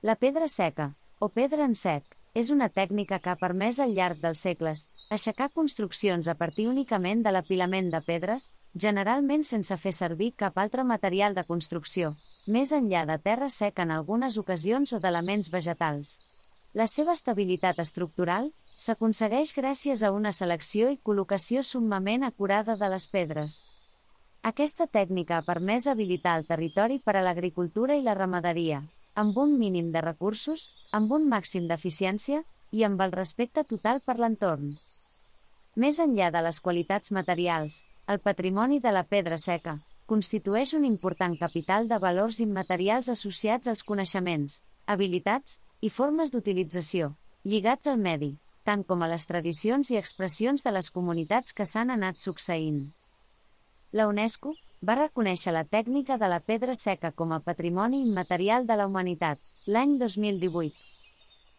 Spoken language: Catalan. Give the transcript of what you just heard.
La pedra seca, o pedra en sec, és una tècnica que ha permès al llarg dels segles aixecar construccions a partir únicament de l'apilament de pedres, generalment sense fer servir cap altre material de construcció, més enllà de terra seca en algunes ocasions o d'elements vegetals. La seva estabilitat estructural s'aconsegueix gràcies a una selecció i col·locació summament acurada de les pedres. Aquesta tècnica ha permès habilitar el territori per a l'agricultura i la ramaderia, amb un mínim de recursos, amb un màxim d'eficiència i amb el respecte total per l'entorn. Més enllà de les qualitats materials, el patrimoni de la pedra seca constitueix un important capital de valors immaterials associats als coneixements, habilitats i formes d'utilització, lligats al medi, tant com a les tradicions i expressions de les comunitats que s'han anat succeint. La UNESCO va reconèixer la tècnica de la pedra seca com a Patrimoni Immaterial de la Humanitat l'any 2018.